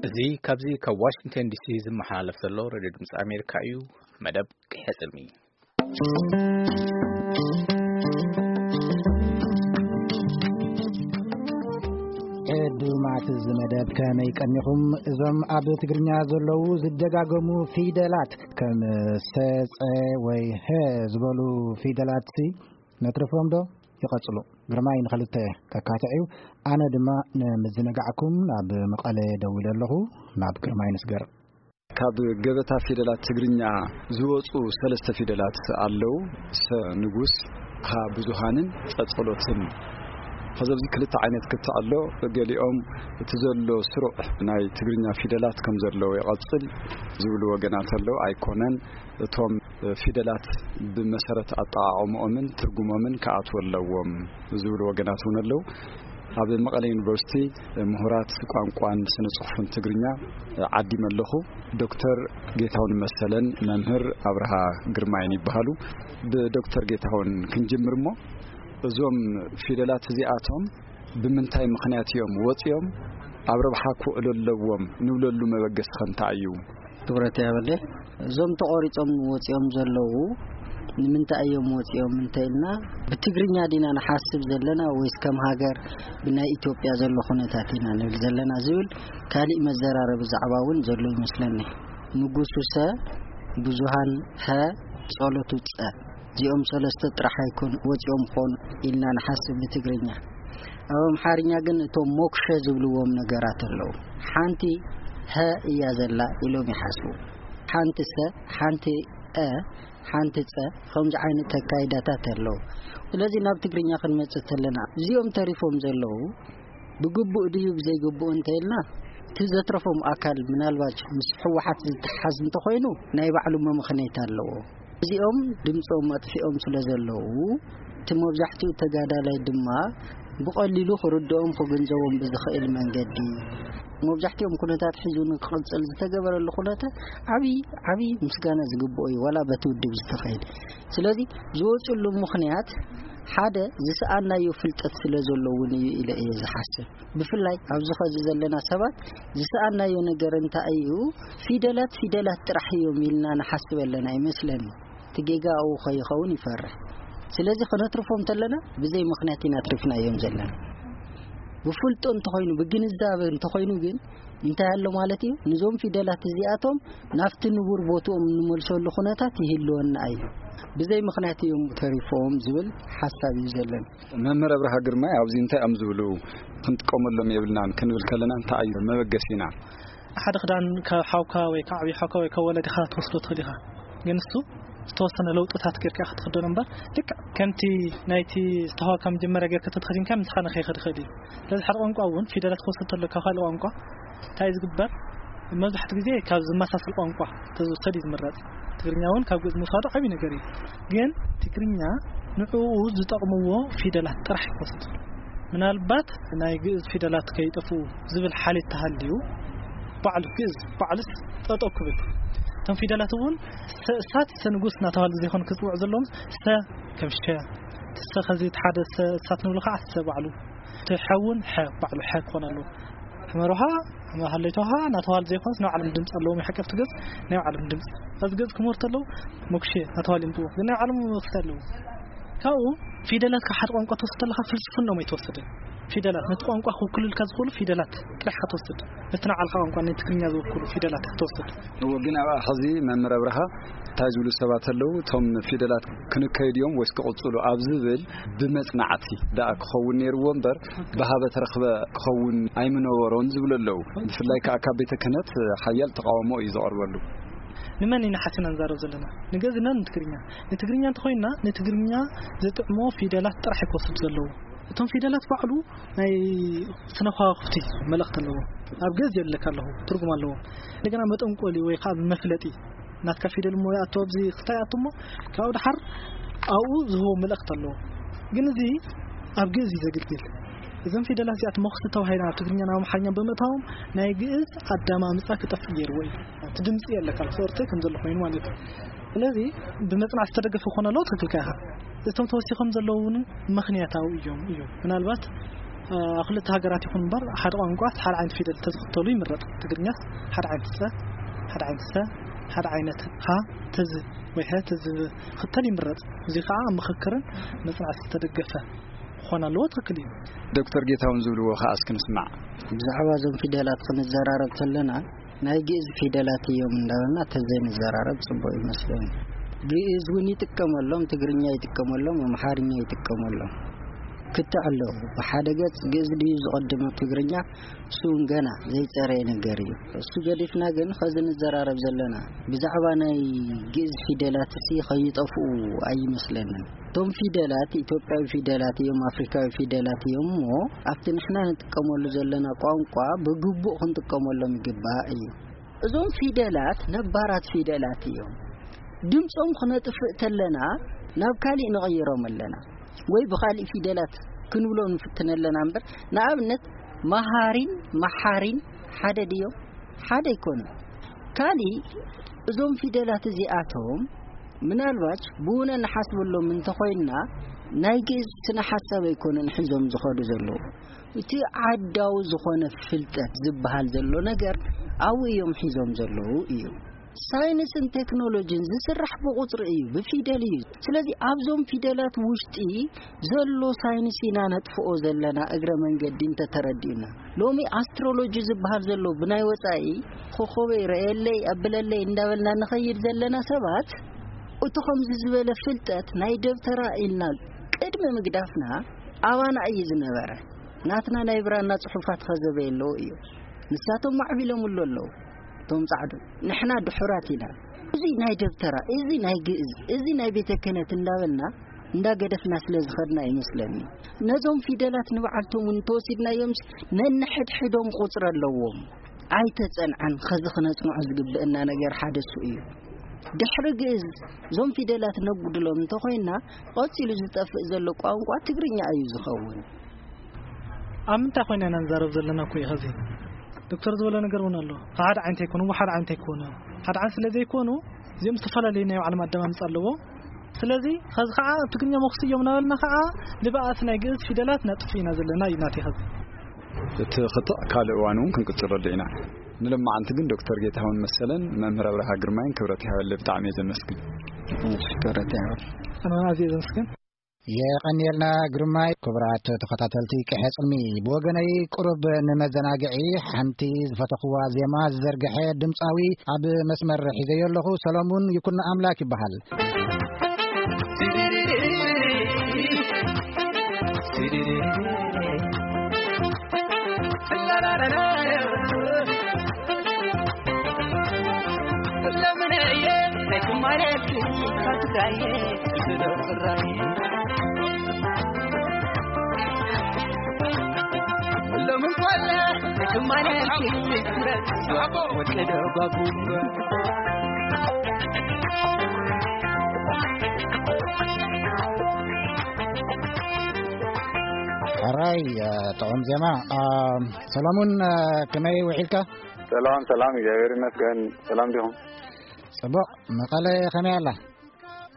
እዚ ካብዚ ካብ ዋሽንግተን ዲሲ ዝመሓላለፍ ዘሎ ሬድዮ ድምፂ ኣሜሪካ እዩ። መደብ ቅሕፅሚ። ዕዱማት እዚ መደብ ከመይ ቀኒኹም? እዞም ኣብ ትግርኛ ዘለዉ ዝደጋገሙ ፊደላት ከም ሰ፣ ጸ ወይ ሀ ዝበሉ ፊደላትሲ ነትርፎም ዶ? ይቐጽሉ። ግርማይ ንኽልተ ከካትዕ እዩ። ኣነ ድማ ንምዝንጋዕኩም ናብ መቐለ ደዊለ ኣለኹ። ናብ ግርማይ ንስገር። ካብ ገበታ ፊደላት ትግርኛ ዝወፁ ሰለስተ ፊደላት ኣለዉ። ሰ ንጉስ፣ ሃ ብዙሃንን ጸ ጸሎትን። ከዚ ኣብዚ ክልተ ዓይነት ክትዕ ኣሎ። ገሊኦም እቲ ዘሎ ስሩዕ ናይ ትግርኛ ፊደላት ከም ዘለዎ ይቐጽል ዝብሉ ወገናት ኣለዉ። ኣይኮነን። እቶም ፊደላት ብመሰረት ኣጠቓቕምኦምን ትርጉሞምን ክኣትዉ ኣለዎም ዝብሉ ወገናት እውን ኣለዉ። ኣብ መቐለ ዩኒቨርሲቲ ምሁራት ቋንቋን ስነ ጽሑፍን ትግርኛ ዓዲመ ኣለኹ። ዶክተር ጌታሁን መሰለን መምህር ኣብርሃ ግርማይን ይበሃሉ። ብዶክተር ጌታሁን ክንጅምር እሞ፣ እዞም ፊደላት እዚኣቶም ብምንታይ ምኽንያት እዮም ወፂኦም? ኣብ ረብሓ ክውዕሉ ኣለዎም ንብለሉ መበገሲ ኸ እንታይ እዩ? ክብረት ያበለ፣ እዞም ተቖሪጾም ወጺኦም ዘለዉ ንምንታይ እዮም ወጺኦም እንተ ኢልና፣ ብትግርኛ ዲና ንሓስብ ዘለና ወይስ ከም ሃገር ብናይ ኢትዮጵያ ዘሎ ኩነታት ኢና ንብል ዘለና ዝብል ካሊእ መዘራረቢ ዛዕባ እውን ዘሎ ይመስለኒ። ንጉሱ ሰ፣ ብዙሃን ሀ፣ ጸሎቱ ጸ። እዚኦም ሰለስተ ጥራሕ ኣይኮኑ ወጺኦም ኾኑ ኢልና ንሓስብ ብትግርኛ። ኣብ ኣምሓርኛ ግን እቶም ሞክሸ ዝብልዎም ነገራት ኣለዉ። ሓንቲ ሀ እያ ዘላ ኢሎም ይሓስቡ። ሓንቲ ሰ፣ ሓንቲ አ፣ ሓንቲ ጸ፣ ከምዚ ዓይነት ተካይዳታት ኣለዉ። ስለዚ ናብ ትግርኛ ክንመጽእ ተለና፣ እዚኦም ተሪፎም ዘለዉ ብግቡእ ድዩ ብዘይግቡእ እንተ ኢልና፣ እቲ ዘትረፎም ኣካል ምናልባት ምስ ህወሓት ዝተሓዝ እንተኾይኑ፣ ናይ ባዕሉ መመኽነይታ ኣለዎ። እዚኦም ድምፆም ኣጥፊኦም ስለ ዘለዉ፣ እቲ መብዛሕትኡ ተጋዳላይ ድማ ብቐሊሉ ክርድኦም ክግንዘቦም ብዝኽእል መንገዲ፣ መብዛሕትኦም ኩነታት ሒዙ ንክቕፅል ዝተገበረሉ ኩነተ ዓብዪ፣ ዓብዪ ምስጋና ዝግብኦ እዩ፣ ዋላ በቲ ውድብ ዝተኸይደ። ስለዚ ዝወፅሉ ምኽንያት ሓደ ዝሰኣናዮ ፍልጠት ስለ ዘሎ እውን እዩ ኢለ እየ ዝሓስብ። ብፍላይ ኣብዚ ኸዚ ዘለና ሰባት ዝሰኣናዮ ነገር እንታይ እዩ? ፊደላት፣ ፊደላት ጥራሕ እዮም ኢልና ንሓስብ ኣለና ይመስለኒ። እቲ ጌጋ ኣብኡ ከይኸውን ይፈርሕ። ስለዚ ከነትርፎም ተለና ብዘይ ምኽንያት ኢና ኣትሪፍናዮም ዘለና። ብፍልጦ እንተኾይኑ፣ ብግንዛበ እንተኾይኑ ግን እንታይ ኣሎ ማለት እዩ? ንዞም ፊደላት እዚኣቶም ናብቲ ንቡር ቦትኦም እንመልሰሉ ኩነታት ይህልወና እዩ። ብዘይ ምኽንያት እዮም ተሪፎም ዝብል ሓሳብ እዩ ዘለኒ። መምህር ኣብርሃ ግርማይ ኣብዚ እንታይ እዮም ዝብሉ? ክንጥቀመሎም የብልናን ክንብል ከለና እንታይ እዩ መበገሲና? ሓደ ክዳን ካብ ሓውካ ወይ ካብ ዓብዪ ሓውካ ወይ ካብ ወለድኻ ትወስዶ ትኽእል ኢኻ። ግን እሱ ዝተወሰነ ለውጥታት ጌርካ ክትኽደኖ እምበር፣ ልክዕ ከምቲ ናይቲ ዝተዋህበካ መጀመርያ ጌርካ ተተኸዲንካ ምሳኻ ንኸይኸድ ይኽእል እዩ። ስለዚ ሓደ ቋንቋ እውን ፊደላት ክወስድ ተሎ ካብ ካልእ ቋንቋ እንታይ እዩ ዝግበር? መብዛሕትኡ ግዜ ካብ ዝመሳሰል ቋንቋ ተዝውሰድ እዩ ዝምረጽ። ትግርኛ እውን ካብ ግእዝ ምውሳዱ ዓብዪ ነገር እዩ። ግን ትግርኛ ንዕኡ ዝጠቕምዎ ፊደላት ጥራሕ ይወስድ። ምናልባት ናይ ግእዝ ፊደላት ከይጠፍኡ ዝብል ሓልዮት ተሃልዩ፣ ባዕሉ ግእዝ ባዕሉስ ጠጠው ክብል፣ እቶም ፊደላት እውን ሰ-፣ እሳት ሰ ንጉስ እናተባህሉ ዘይኮኑ ክፅውዑ ዘለዎም፣ ሰ ከም ሸ፣ ሰ ኸዚ እቲ ሓደ ሰ-፣ እሳት ንብሎ ከዓ ሰ ባዕሉ፣ እቲ ሐ እውን ሐ ባዕሉ ሐ ክኾን ኣለዎ። ሕመር ውሃ፣ ሕመር ሃለይተ ውሃ እናተባህሉ ዘይኮኑስ ናይ ባዕሎም ድምፂ ኣለዎም። የሓቀፍቲ ገፅ ናይ ባዕሎም ድምፂ። ኣብዚ ገፅ ክምህሩ ተለዉ ሞክሼ እናተባህሉ ይምፅዎ። ግን ናይ ባዕሎም መበገሲ ኣለዎም። ካብኡ ፊደላት ካብ ሓደ ቋንቋ ትወስድ ተለኻ ፍልስፍናኦም ኣይትወስድን። ፊደላት ነቲ ቋንቋ ክውክሉልካ ዝኽእሉ ፊደላት ጥራሕ ኢኻ ትወስድ። ነቲ ናይ ባዕልኻ ቋንቋ፣ ናይ ትግርኛ ዝውክሉ ፊደላት ኢኻ ትወስድ። እወ፣ ግን ኣብኣ ሕዚ መምህር ኣብርሃ እንታይ ዝብሉ ሰባት ኣለዉ? እቶም ፊደላት ክንከይድ እዮም ወይስ ክቕጽሉ ኣብ ዝብል ብመጽናዕቲ ደኣ ክኸውን ነይርዎ እምበር፣ ብሃበ ተረኽበ ክኸውን ኣይምነበሮን ዝብሉ ኣለዉ። ብፍላይ ከኣ ካብ ቤተ ክህነት ሓያል ተቓውሞ እዩ ዝቐርበሉ። ንመን ኢና ሓሲና ንዛረብ ዘለና? ንግእዝ ኢና ንትግርኛ? ንትግርኛ እንተኾይንና፣ ንትግርኛ ዝጥዕሞ ፊደላት ጥራሕ እዩ ክወስድ ዘለዎ። እቶም ፊደላት ባዕሉ ናይ ስነ ከዋኽብቲ መልእኽቲ ኣለዎ። ኣብ ግእዝ የብለካ ኣለኹ፣ ትርጉም ኣለዎ። እንደገና መጠንቆሊ ወይ ከዓ መፍለጢ ናትካ ፊደል እሞ ይኣቱ ኣብዚ ክስታይ ይኣቱ እሞ ካብኡ ደሓር ኣብኡ ዝህቦ መልእኽቲ ኣለዎ። ግን እዚ ኣብ ግእዝ እዩ ዘገልግል። እዞም ፊደላት እዚኣት መኽስቲ ተባሂሎም ኣብ ትግርኛን ኣብ ኣምሓርኛን ብምእታዎም ናይ ግእዝ ኣዳማምፃ ክጠፍእ ገይርዎ እዩ። እቲ ድምፂ የለካ፣ ክርተ ከም ዘሎ ኮይኑ ማለት እዩ። ስለዚ ብመፅናዕቲ ዝተደገፈ ክኾን ኣለዎ፣ ትክክል ኢኻ። እቶም ተወሲኾም ዘለዉ እውን ምኽንያታዊ እዮም እዩ። ምናልባት ኣብ ክልተ ሃገራት ይኹን እምበር ሓደ ቋንቋ ሓደ ዓይነት ፊደል ተዝኽተሉ ይምረጽ። ትግርኛስ ሓደ ዓይነት ጸ፣ ሓደ ዓይነት ሰ፣ ሓደ ዓይነት ሃ፣ ተዝ ወይ ሀ ተዝኽተል ይምረጽ። እዚ ከዓ ኣብ ምኽክርን መጽናዕቲ ዝተደገፈ ክኾን ኣለዎ። ትኽክል እዩ። ዶክተር ጌታሁን ዝብልዎ ከዓ እስኪ ንስማዕ። ብዛዕባ እዞም ፊደላት ክንዘራረብ ከለና ናይ ግእዝ ፊደላት እዮም እንዳበልና ተዘይንዘራረብ ጽቡቅ ይመስለኒ። ግእዝ እውን ይጥቀመሎም፣ ትግርኛ ይጥቀመሎም፣ ኣምሓርኛ ይጥቀመሎም። ክትዕ ኣለዉ። ብሓደ ገጽ ግእዝ ድዩ ዝቐድም ትግርኛ? እሱ እውን ገና ዘይጸረየ ነገር እዩ። እሱ ገዲፍና ግን ኸዚ ንዘራረብ ዘለና ብዛዕባ ናይ ግእዝ ፊደላት እሲ ኸይጠፍኡ ኣይመስለንን። እቶም ፊደላት ኢትዮጵያዊ ፊደላት እዮም፣ ኣፍሪካዊ ፊደላት እዮም እሞ ኣብቲ ንሕና ንጥቀመሉ ዘለና ቋንቋ ብግቡእ ክንጥቀመሎም ይግባእ እዩ። እዞም ፊደላት ነባራት ፊደላት እዮም። ድምጾም ክነጥፍእ ተለና ናብ ካሊእ ንቐይሮም ኣለና ወይ ብኻሊእ ፊደላት ክንብሎ ንፍትን ኣለና እምበር፣ ንኣብነት መሃሪን መሓሪን ሓደ ድዮም? ሓደ ኣይኮኑን። ካሊእ እዞም ፊደላት እዚኣቶም ምናልባት ብውነ ንሓስበሎም እንተኾይንና ናይ ግእዝ ስነ ሓሳብ ኣይኮኑን ሒዞም ዝኸዱ ዘለዉ። እቲ ዓዳዊ ዝኾነ ፍልጠት ዝበሃል ዘሎ ነገር ኣብኡ እዮም ሒዞም ዘለዉ እዩ። ሳይንስን ቴክኖሎጂን ዝስራሕ ብቁጽሪ እዩ፣ ብፊደል እዩ። ስለዚ ኣብዞም ፊደላት ውሽጢ ዘሎ ሳይንስ ኢና ነጥፍኦ ዘለና እግረ መንገዲ እንተተረዲኡና። ሎሚ ኣስትሮሎጂ ዝበሃል ዘሎ ብናይ ወጻኢ ኮኸበይ ረእየለይ ኣብለለይ እንዳበልና ንኸይድ ዘለና ሰባት እቲ ከምዚ ዝበለ ፍልጠት ናይ ደብተራ ኢልና ቅድሚ ምግዳፍና ኣባና እዩ ዝነበረ። ናትና ናይ ብራና ጽሑፋት ኸዘበየ ኣለዎ እዩ። ንሳቶም ማዕቢሎምሉ ኣለዉ። እቶም ጻዕዱ ንሕና ድሑራት ኢና። እዚ ናይ ደብተራ፣ እዚ ናይ ግእዝ፣ እዚ ናይ ቤተ ክህነት እንዳበልና እንዳገደፍና ስለ ዝኸድና ይመስለኒ። ነዞም ፊደላት ንባዕልቶም እውን እንተወሲድናዮምስ ነንሕድሕዶም ቁጽሪ ኣለዎም። ኣይተጸንዐን። ኸዚ ክነጽንዖ ዝግብእና ነገር ሓደ እሱ እዩ። ድሕሪ ግእዝ እዞም ፊደላት ነጉድሎም እንተኾይና ቀጺሉ ዝጠፍእ ዘሎ ቋንቋ ትግርኛ እዩ ዝኸውን። ኣብ ምንታይ ኮይና ኢና ንዛረብ ዘለና እኮ እዩ ኸዚ። ዶክተር ዝበሎ ነገር እውን ኣሎ። ሓደ ዓይነት ኣይኮኑ፣ ሓደ ዓይነት ኣይኮኑ። ሓደ ዓይነት ስለ ዘይኮኑ እዚኦም ዝተፈላለዩ ናይ ባዕሎም ኣደማምጻ ኣለዎ። ስለዚ ኸዚ ኸዓ ኣብ ትግርኛ መኹስ እዮም እናበልና ኸዓ ንብኣት ናይ ግእዝ ፊደላት ነጥፍ ኢና ዘለና እዩ ናተይ ኸዚ። እቲ ክትዕ ካልእ እዋን እውን ክንቅጽለሉ ኢና። ንሎማዓንቲ ግን ዶክተር ጌታሁን መሰለን መምህር ኣብርሃ ግርማይን ክብረት ይሃበለይ፣ ብጣዕሚ እየ ዘመስግን። እሺ፣ ክብረት ይሃበል። ኣነ እውን ኣዝየ ዘመስግን። የቐንየልና ግርማይ። ክቡራት ተኸታተልቲ ቅሐ ጽልሚ፣ ብወገነይ ቁሩብ ንመዘናግዒ ሓንቲ ዝፈተኽዋ ዜማ ዝዘርግሐ ድምጻዊ ኣብ መስመር ሒዘዮ ኣለኹ። ሰሎሙን ይኩኖ ኣምላክ ይበሃል። ሕራይ፣ ጥዑም ዜማ። ሰሎሙን፣ ከመይ ውዒልካ? ሰላም ሰላም፣ እግዚኣብሔር ይመስገን። ሰላም ዲኹም? ጽቡቕ። መቐለ ከመይ ኣላ?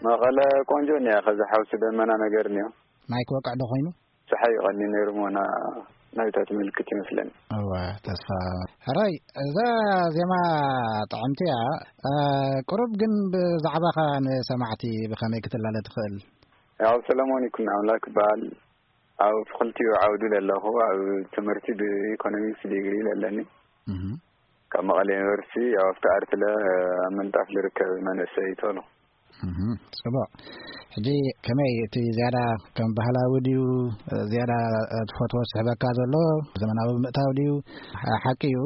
መቐለ ቆንጆ እኒኣ፣ ከዚ ሓውሲ ደመና ነገር እኒኦ። ማይ ክወቅዕ ዶ ኮይኑ? ፀሓይ ይቐኒ ነይሩ ምሆና ናይታት ምልክት ይመስለኒ። እወ፣ ተስፋ። ሕራይ፣ እዛ ዜማ ጥዕምቲ እያ። ቁሩብ ግን ብዛዕባኻ ንሰማዕቲ ብኸመይ ክትላለ ትኽእል? ያው ሰለሞን ይኩን ኣምላክ ይበሃል። ኣብ ክልቲኡ ዓውዲ ለለኹ፣ ኣብ ትምህርቲ ብኢኮኖሚክስ ዲግሪ ለለኒ። ካብ መቐለ ዩኒቨርሲቲ፣ ያው ኣብቲ ኣርትለ ኣብ ምንጣፍ ልርከብ መንእሰይ ይቶሎ። ጽቡቕ። ሕጂ ከመይ እቲ ዝያዳ ከም ባህላዊ ድዩ፣ ዝያዳ ትፈትዎ ዝስሕበካ ዘሎ ዘመናዊ ምእታው ድዩ? ሓቂ እዩ፣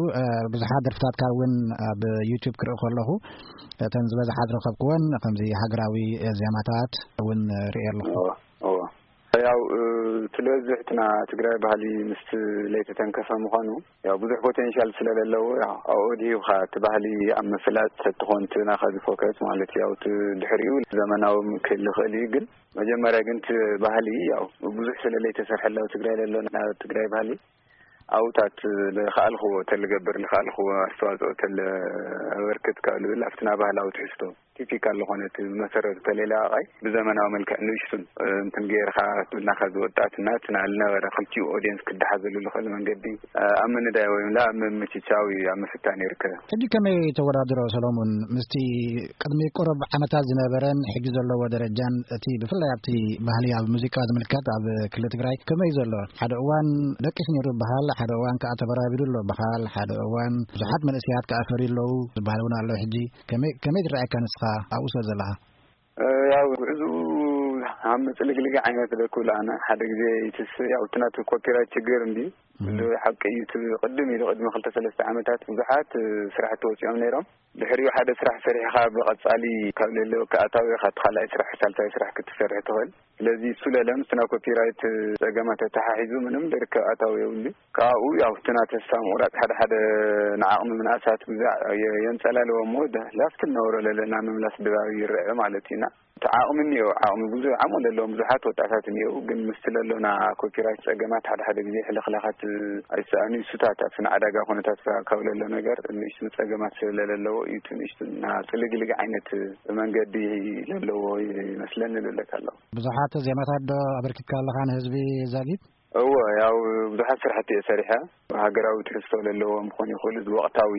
ብዙሓት ደርፍታትካ እውን ኣብ ዩቱብ ክርኢ ከለኹ፣ እተን ዝበዝሓ ዝረኸብክወን ከምዚ ሃገራዊ ዜማታት እውን ርኢ ኣለኹ። እዎ፣ እዎ። ያው፣ እቲ ዝበዝሕ እቲ ና ትግራይ ባህሊ ምስቲ ለይተተንከፈ ምዃኑ፣ ያው ብዙሕ ፖቴንሻል ስለለለዎ፣ ያው ኣብኡ ድሂብኻ እቲ ባህሊ ኣብ ምፍላጥ ተትኾን እቲ ናኻ ዝፎከስ ማለት እዩ። ያው እቲ ድሕሪኡ ዘመናዊ ክህሊ ይኽእል እዩ፣ ግን መጀመርያ ግን እቲ ባህሊ ያው ብዙሕ ስለ ለይተሰርሐላ ኣብ ትግራይ ለሎ ና ትግራይ ባህሊ ኣብታት ልኽኣልኽዎ ተልገብር ልኽኣልኽዎ ኣስተዋፅኦ ተልኣበርክት ካብ ልብል ኣብቲ ና ባህላዊ ትሕዝቶ ቲፒካል ዝኾነት መሰረቱ ተለይለቃቃይ ብዘመናዊ መልክዕ ንእሽቱን እንትን ገይርካ ብልና ከዚ ወጣትና እቲ ናልነበረ ክልቲኡ ኦዲየንስ ክደሓዘሉ ዝኽእል መንገዲ ኣብ ምንዳይ ወይም ላ ኣብ ምምችቻው እዩ ኣብ ምፍታን ይርከብ። ሕጂ ከመይ ተወዳድሮ ሰሎሙን? ምስቲ ቅድሚ ቁሩብ ዓመታት ዝነበረን ሕጂ ዘለዎ ደረጃን እቲ ብፍላይ ኣብቲ ባህሊ ኣብ ሙዚቃ ዝምልከት ኣብ ክልል ትግራይ ከመይ ዘሎ? ሓደ እዋን ደቂስ ነይሩ በሃል፣ ሓደ እዋን ከዓ ተበራቢሩ ኣሎ በሃል፣ ሓደ እዋን ብዙሓት መንእሰያት ከዓ ፈርዩ ኣለዉ ዝበሃል እውን ኣሎ። ሕጂ ከመይ ከመይ ትረኣየካ ንስኻ ኣብኡ ስለ ዘለኻ? ያው ጉዕዝኡ ኣብ ምጽልግልግ ዓይነት ዶ ክብል ኣነ ሓደ ግዜ ይትስ ያው እቲ ናቱ ኮፒራይት ችግር እንዲ ሓቂ እዩ። እቲ ቅድም ኢሉ ቅድሚ ክልተ ሰለስተ ዓመታት ብዙሓት ስራሕቲ ወፂኦም ነይሮም። ድሕሪኡ ሓደ ስራሕ ሰሪሕኻ ብቐጻሊ ካብ ለለወካ ኣታዊኻ እቲ ካልኣይ ስራሕ ሳልሳይ ስራሕ ክትሰርሕ ትኽእል። ስለዚ እሱ ለለም ስና ኮፒራይት ጸገማት ተተሓሒዙ ምንም ደርከብ ኣታዊ የብሉ። ካብኡ ያው እቲ ናተ ተስፋ ምቑራጽ ሓደ ሓደ ንዓቕሚ ምንኣሳት ግዛዕ የ- የንጸላልዎ እሞ ደ- ላፍቲ እናወረ ለለና ምምላስ ድባብ ይረአ ማለት እዩና። እቲ ዓቕሚ እኒኦ ዓቕሚ ብዙ ዓቕሚ ለለዎም ብዙሓት ወጣታት እኒኦ ግን ምስቲ ለሎና ኮፒራይት ጸገማት ሓደ ሓደ ግዜ ሕልኽላኻት ኣይሰኣኑ ይሱታት ኣብቲ ንዓዳጋ ኩነታት ካብ ለሎ ነገር ንእሽቱ ጸገማት ስለለለዎ እዩ እቲ ንእሽቱ እና ጽልግልግ ዓይነት መንገዲ ለለዎ ይመስለኒ ልብለካ ኣለኹ። ብዙሓት ዜማታት ዶ ኣበርኪትካ ኣለኻ ንህዝቢ ዛጊት? እወ ያው ብዙሓት ስራሕቲ እየ ሰሪሐ። ሃገራዊ ትሕዝቶ ለለዎም ክኾኑ ይኽእሉ እዚ ወቕታዊ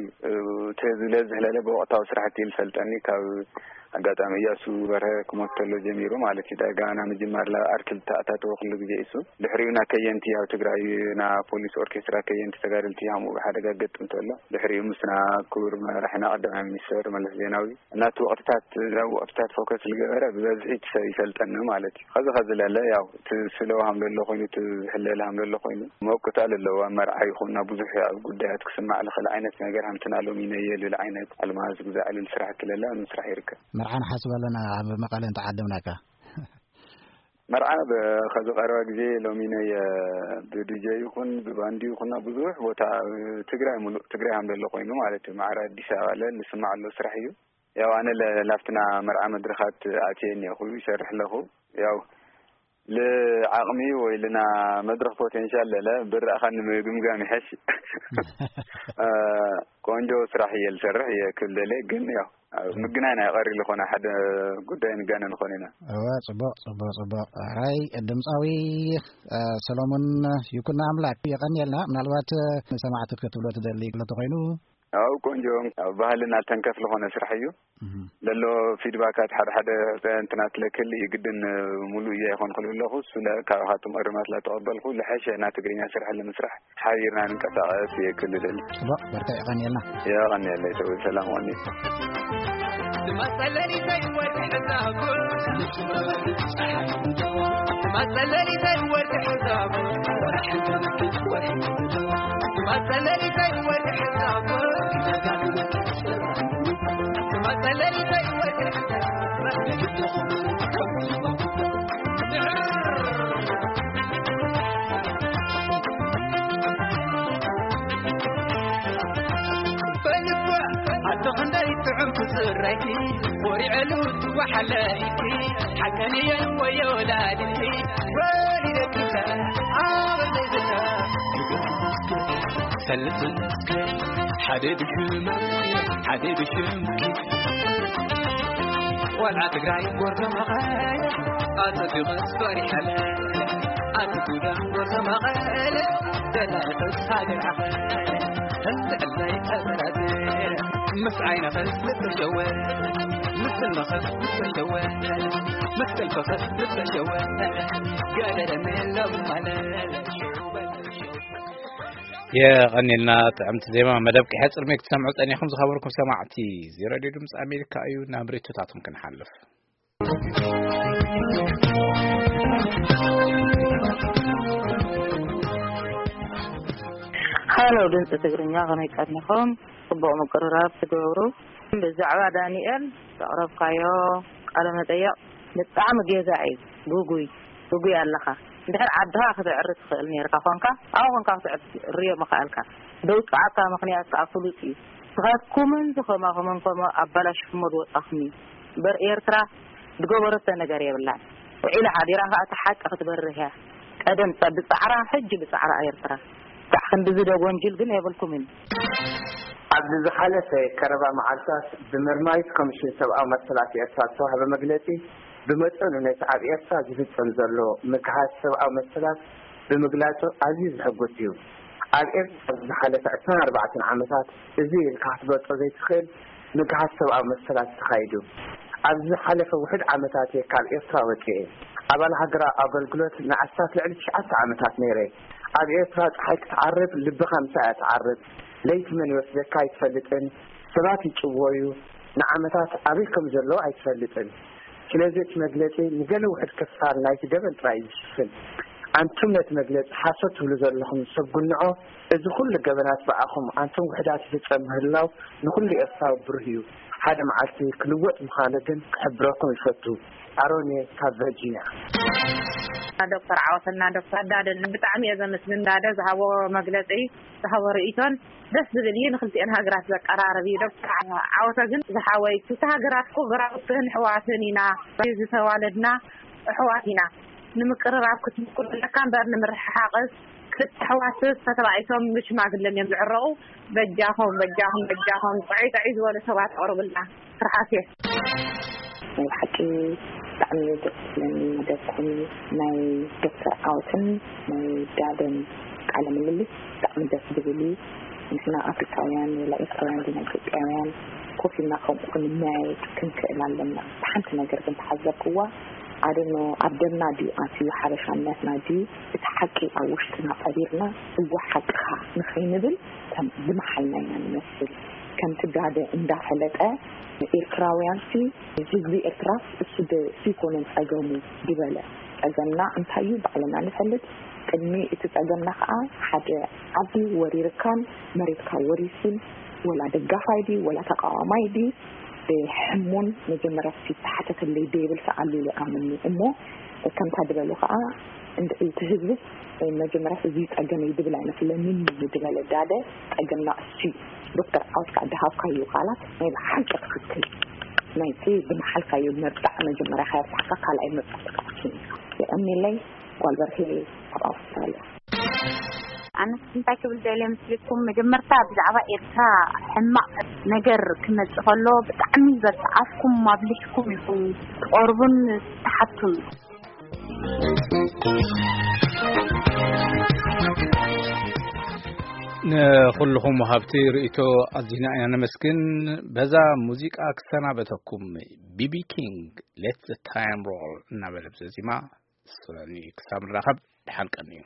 እቲ ህዝቢ ለዝህለለ ብወቕታዊ ስራሕቲ እዩ ዝፈልጠኒ ካብ ኣጋጣሚ እያሱ በርሀ ክሞት ተሎ ጀሚሩ ማለት እዩ ዳጋ ና ምጅማር ላ ኣርክል ተኣታተወ ክሉ ግዜ እሱ ድሕሪኡ ና ከየንቲ ኣብ ትግራይ ና ፖሊስ ኦርኬስትራ ከየንቲ ተጋደልቲ ሃምኡ ብሓደጋ ገጥም ተሎ ድሕሪኡ ምስና ክቡር መራሕና ቀዳማይ ሚኒስተር መለስ ዜናዊ እናቲ ወቕትታት ናብ ወቕትታት ፎከስ ዝገበረ ብበዝሒ እቲ ሰብ ይፈልጠኒ ማለት እዩ። ከዚ ከዚ ለለ ያው እቲ ስለ ሃም ለሎ ኮይኑ እቲ ዝሕለል ሃም ለሎ ኮይኑ መብቅታ ለለዎ ኣብ መርዓ ይኹን ናብ ብዙሕ ኣብ ጉዳያት ክስማዕ ዝኽእል ዓይነት ነገር ሃምትና ሎም ይነየ ልል ዓይነት ኣልማዝ ግዛዕ ልል ስራሕ ክለላ ኣብ ምስራሕ ይርከብ። መርዓ ንሓስብ ኣለና ኣብ መቐለ እንተዓደምናካ። መርዓ ብ- ከዚ ቀረባ ግዜ ሎሚ ናይ ብዲጀ ይኹን ብባንዲ ይኹን ኣብ ብዙሕ ቦታ ኣብ ትግራይ ሙሉእ ትግራይ ሃም ለሎ ኮይኑ ማለት እዩ ማዕረ ኣዲስ ኣበባ ለ ንስማዕ ኣሎ ስራሕ እዩ። ያው ኣነ ለ- ላፍትና መርዓ መድረኻት ኣትየ እኒኹ ይሰርሕ ኣለኹ። ያው ልዓቕሚ ወይ ልና መድረኽ ፖቴንሻል ለለ ብረእኻ ንምግምጋም ይሐሽ። ቆንጆ ስራሕ እየ ዝሰርሕ እየ ክብል ደለ ግን ያው ኣብ ምግናይ ናይ ቀሪ ዝኾነ ሓደ ጉዳይ ንጋነ ንኾን ኢና። እወ ጽቡቕ ጽቡቕ ጽቡቕ። ራይ ድምፃዊ ሰሎሞን ይኩን ኣምላክ የቐንየልና። ምናልባት ንሰማዕቲ ክትብሎ ትደሊ ክሎ ተኮይኑ? ኣብ ቆንጆ ኣብ ባህልና ተንከፍ ዝኾነ ስራሕ እዩ። ለሎ ፊድባካት ሓደ ሓደ እንትናት ለክል ይግድን ሙሉእ እያ ይኾን ክልብለኹ እሱ ካባኻትኩም እርማት ላተቐበልኩ ልሐሸ እና ትግርኛ ስራሕ ንምስራሕ ሓቢርና ንንቀሳቐስ እየ ክልደል። ጽቡቕ በርታ የቐንየልና። የቐንየለይ ሰው ሰላም ቐኒ። የቐኒልና ጥዕምቲ ዜማ መደብ ክሕፅር ሜክ ትሰምዑ ፀኒኹም ዝኸበርኩም ሰማዕቲ እዚ ሬድዮ ድምፂ ኣሜሪካ እዩ ናብ ሬቶታቶም ክንሓልፍ። ሃሎ ድምፂ ትግርኛ ከመይ ቀኒኹም? ፅቡቕ ምቅርራብ ትገብሩ። ብዛዕባ ዳንኤል ዘቕረብካዮ ቃለ መጠየቕ ብጣዕሚ ጌጋ እዩ። ጉጉይ ጉጉይ ኣለኻ። እንድሕር ዓድኻ ክትዕሪ ትኽእል ነርካ ኮንካ ኣብኡ ኮንካ ክትዕሪ ርዮ ምኽኣልካ። ደውፅዓካ ምኽንያት ከዓ ፍሉጥ እዩ። ንኻትኩምን ዝኸማኹምን ከምኡ ኣባላሽኹሞ ዝወፃኹም እዩ። እምበር ኤርትራ ዝገበረቶ ነገር የብላን። ውዒላ ሓዲራ ከዓ እቲ ሓቂ ክትበርህ እያ። ቀደም ብፃዕራ ሕጂ ብፃዕራ ኤርትራ። ክሳዕ ክንድዚ ዶ ጎንጅል ግን የብልኩምን። ኣብዚ ዝሓለፈ ቀረባ መዓልታት ብመርማሪት ኮሚሽን ሰብኣዊ መሰላት ኤርትራ ዝተዋህበ መግለጺ፣ ብመጠኑ ነቲ ኣብ ኤርትራ ዝፍጸም ዘሎ ምግሃስ ሰብኣዊ መሰላት ብምግላጹ ኣዝዩ ዘሐጉስ እዩ። ኣብ ኤርትራ ኣብ ዝሓለፈ ዕስራን ኣርባዕተን ዓመታት እዚ ኢልካ ክትገልጾ ዘይትኽእል ምግሃስ ሰብኣዊ መሰላት ተኻይዱ። ኣብዚ ዝሓለፈ ውሑድ ዓመታት እየ ካብ ኤርትራ ወጺኤ። ኣባል ሃገራዊ ኣገልግሎት ንኣስታት ልዕሊ ትሽዓተ ዓመታት ነይረ። ኣብ ኤርትራ ጸሓይ ክትዓርብ ልብኻ ምሳኣ እያ ትዓርብ። ለይቲ መን ይወስደካ ኣይትፈልጥን። ሰባት ይጭወዩ። ንዓመታት ኣበይ ከም ዘለዉ ኣይትፈልጥን። ስለዚ እቲ መግለጺ ንገለ ውሑድ ክፋል ናይቲ ገበን ጥራይ እዩ ዝሽፍን። ኣንቱም ነቲ መግለጺ ሓሶት ትብሉ ዘለኹም ሰብ ጉንዖ፣ እዚ ኩሉ ገበናት ብኣኹም ኣንቱም ውሑዳት ይፍጸም ምህላው ንኹሉ ኤርትራዊ ብሩህ እዩ። ሓደ መዓልቲ ክልወጥ ምዃኑ ግን ክሕብረኩም ይፈቱ። ኣሮን እየ ካብ ቨርጂንያ። ዶክተር ዓወትና ዶክተር ዳደን ብጣዕሚ እየ ዘመስግን። ዳደ ዝሃቦ መግለጺ፣ ዝሃቦ ርእይቶን ደስ ዝብል እዩ። ንክልቲኤን ሃገራት ዘቀራርብ እዩ። ዶክተር ዓወተ ግን ዝሓወይ፣ ክልተ ሃገራት እኮ ጎረባብትን ኣሕዋትን ኢና፣ ዝተዋለድና ኣሕዋት ኢና። ንምቅርራብ ክትምኩር ኣለካ እምበር ንምርሕሓቅስ፣ ክልተ ኣሕዋትስ ተተባኢሶም ብሽማግለን እዮም ዝዕረቁ። በጃኹም በጃኹም በጃኹም፣ ጠዕይ ጠዕይ ዝበሉ ሰባት ኣቅርብልና። ትርሓስ እየ። ናይ ብሓቂ ብጣዕሚ እዩ ደስ ዝብለኒ መደብኩም። ናይ ዶክተር ዓወትን ናይ ዳደን ቃለ ምልልስ ብጣዕሚ ደስ ዝብል እዩ። ንሕና ኣፍሪካውያን ወላ ኤርትራውያን ዲና ኢትዮጵያውያን ኮፍ ኢልና ከምኡ ክንመያየጥ ክንክእል ኣለና። ሓንቲ ነገር ግን ተሓዘብክዋ፣ ኣደኖ ኣብ ደምና ድዩ ኣትዩ ሓበሻነትና ድዩ፣ እቲ ሓቂ ኣብ ውሽጥና ቀቢርና እወ ሓቅኻ ንኸይንብል ከም ዝመሓልና ኢና ንመስል። ከምቲ ዳደ እንዳፈለጠ ንኤርትራውያንሲ፣ ህዝቢ ኤርትራስ እሱ ዶ ዘይኮነን ጸገሙ ዝበለ፣ ጸገምና እንታይ እዩ ባዕልና ንፈልጥ። ቅድሚ እቲ ጸገምና ከኣ ሓደ ዓዲ ወሪርካን መሬትካ ወሪሱን ወላ ደጋፋይ ድዩ ወላ ተቃዋማይ ድዩ ሕሙን መጀመርያ ዝተሓተተለይ ደይብል ሰኣሉ ኢለ ኣምኒ እሞ ከምታ ድበሉ ከኣ እንድዒ እቲ ህዝብስ መጀመርያ እዚ ጸገመይ ድብል ኣይመስለንን እዩ ድበለ ዳደ ጸገምና እሱ እዩ። ዶክተር ዓወት ከኣ ድሃብካዩ ቃላት ናይ ብሓቂ ትኽክል። ናይቲ ዝመሓልካዮ መብጻዕ መጀመርያ ከየብጻሕካ ካልኣይ መብጻዕ ትከኣኪ የቐኒለይ ጓል በርሄ ኣብ ኣውስትራልያ። ኣነስ እንታይ ክብል ደልየ ምስልኩም፣ መጀመርታ ብዛዕባ ኤርትራ ሕማቕ ነገር ክመጽእ ከሎ ብጣዕሚ በብኣፍኩም ኣብሊሕኩም ኢኹም ትቐርቡን ትሓቱን። ንኹልኹም ወሃብቲ ርእይቶ ኣዚና ኢና ነመስግን። በዛ ሙዚቃ ክሰናበተኩም። ቢቢ ኪንግ ሌት ዘ ታይም ሮል እናበለ ብዘዚማ ስረኒ። ክሳብ ንራኸብ ደሓን ቀንዩ።